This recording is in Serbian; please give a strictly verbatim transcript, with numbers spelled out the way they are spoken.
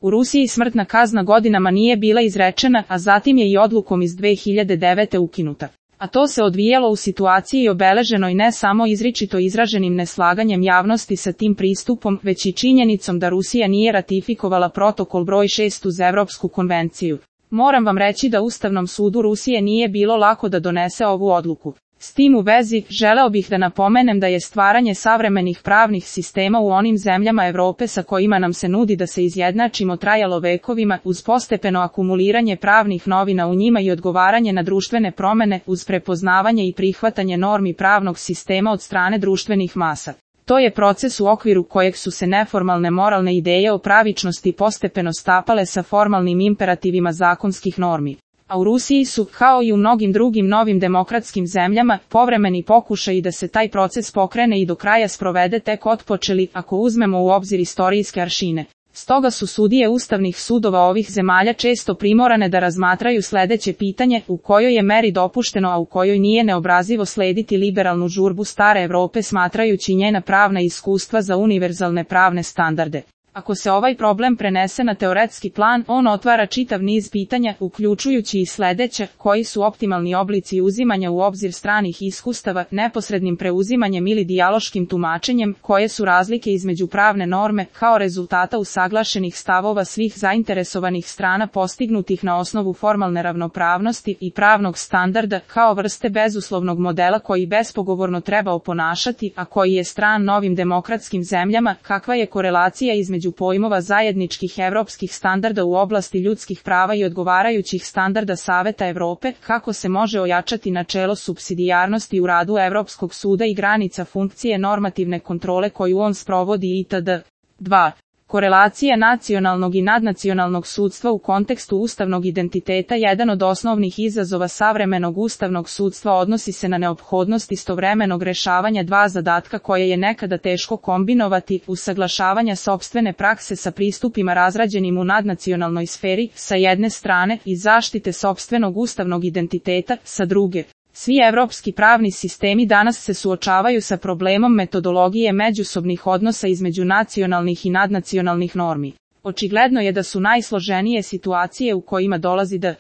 U Rusiji smrtna kazna godinama nije bila izrečena, a zatim je i odlukom iz dve hiljade devete ukinuta. A to se odvijalo u situaciji obeleženoj ne samo izričito izraženim neslaganjem javnosti sa tim pristupom, već i činjenicom da Rusija nije ratifikovala protokol broj šest uz Evropsku konvenciju. Moram vam reći da Ustavnom sudu Rusije nije bilo lako da donese ovu odluku. S tim u vezi, želeo bih da napomenem da je stvaranje savremenih pravnih sistema u onim zemljama Evrope sa kojima nam se nudi da se izjednačimo trajalo vekovima, uz postepeno akumuliranje pravnih novina u njima i odgovaranje na društvene promene, uz prepoznavanje i prihvatanje normi pravnog sistema od strane društvenih masa. To je proces u okviru kojeg su se neformalne moralne ideje o pravičnosti postepeno stapale sa formalnim imperativima zakonskih normi. A u Rusiji su, kao i u mnogim drugim novim demokratskim zemljama, povremeni pokušaji da se taj proces pokrene i do kraja sprovede tek otpočeli, ako uzmemo u obzir istorijske aršine. Stoga su sudije ustavnih sudova ovih zemalja često primorane da razmatraju sledeće pitanje, u kojoj je meri dopušteno, a u kojoj nije neobrazivo slediti liberalnu žurbu stare Evrope smatrajući njena pravna iskustva za univerzalne pravne standarde. Ako se ovaj problem prenese na teoretski plan, on otvara čitav niz pitanja, uključujući i sledeće, koji su optimalni oblici uzimanja u obzir stranih iskustava, neposrednim preuzimanjem ili dijaloškim tumačenjem, koje su razlike između pravne norme, kao rezultata usaglašenih stavova svih zainteresovanih strana postignutih na osnovu formalne ravnopravnosti i pravnog standarda, kao vrste bezuslovnog modela koji bespogovorno treba oponašati, a koji je stran novim demokratskim zemljama, kakva je korelacija između pojmova zajedničkih evropskih standarda u oblasti ljudskih prava i odgovarajućih standarda Saveta Evrope, kako se može ojačati načelo supsidijarnosti u radu Evropskog suda i granica funkcije normativne kontrole koju on sprovodi itd. dva. Korelacija nacionalnog i nadnacionalnog sudstva u kontekstu ustavnog identiteta. Jedan od osnovnih izazova savremenog ustavnog sudstva odnosi se na neophodnost istovremenog rešavanja dva zadatka koje je nekada teško kombinovati, usaglašavanja sopstvene prakse sa pristupima razrađenim u nadnacionalnoj sferi, sa jedne strane, i zaštite sopstvenog ustavnog identiteta, sa druge. Svi evropski pravni sistemi danas se suočavaju sa problemom metodologije međusobnih odnosa između nacionalnih i nadnacionalnih normi. Očigledno je da su najsloženije situacije u kojima dolazi do